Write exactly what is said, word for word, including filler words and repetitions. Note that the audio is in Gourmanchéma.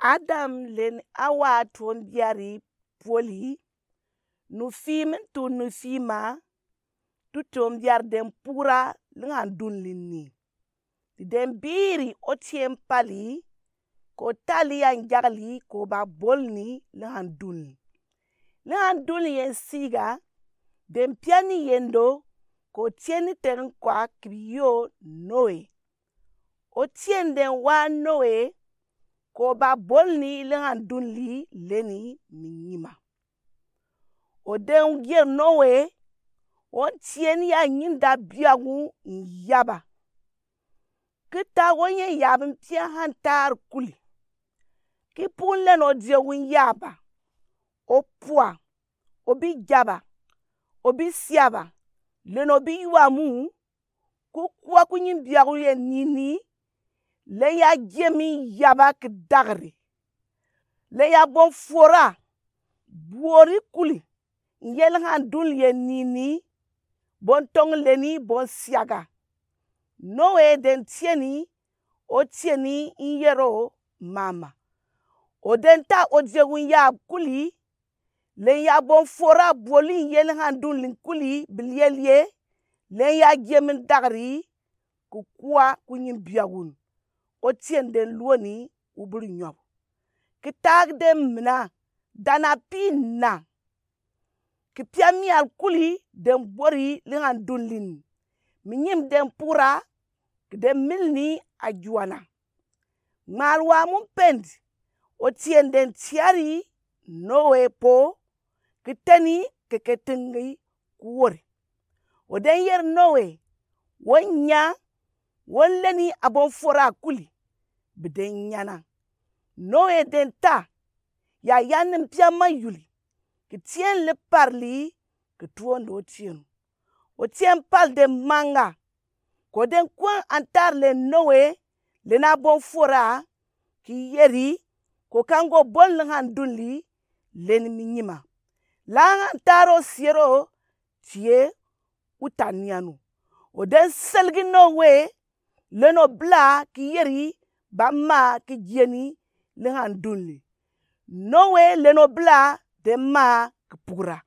Adam len Awa tuɔn biari poli, nu fim tu nu fima, tu tuɔn biari den pura linga dunli ni. Ti den biri otien pali, ko tali ya njagli ko ba bolni linga dunli. Linga dunli yen siga, den piani yendo, ko tieni ten kwa kibio Noe. Otien den wa Noe, ko ba bolni linga dunli leni minyima. O den yeri Noe, o tieni ya nyinda biagu nyaba. Kita o nye yabin pia han tar kuli. Ki pun len o diegu nyaba. O pua, o bi jaba, o bi siaba, len o bi yuamu, ku kua ku nyin biagu ye nini, len ya jemi yaba ki dagri. Len ya bon fora, buori kuli, nye linga dunli ye nini, bon tong leni bon siaga. Noe den tieni, o tieni nyero mama. O den ta o diegu nyaba kuli, len ya bon fora buoli nye linga dunli kuli bilielie, len ya jemi dagri, ku kua ku nyin biagun. Otien den luoni ubuli nyɔbu. Ki tag den mina, dana pi na. Ki pia mial kuli den buori linga dunli ni. Minyim den pura, ki den milni ajuana. Ŋmaal wa mu pendi, otien den tiari Noe po, ki teni keke tingi ku wori. O den yeri Noe, wo nya, wo leni abon fora kuli, bi den nyana. Noe den ta, ya yan ni pia mayuli, ki tien li parli, ki tuondo tienu. Otien pal den manga, ko den kwen antar len Noe, len abon fora, ki yeri, ko kango bon linga dunli, len minyima. Langa antar o siero, tie, utanianu. O den selgi Noe, len obila ki yeri, ba ma ki jieni, linga dunli. Noe len obila, den ma ki pura.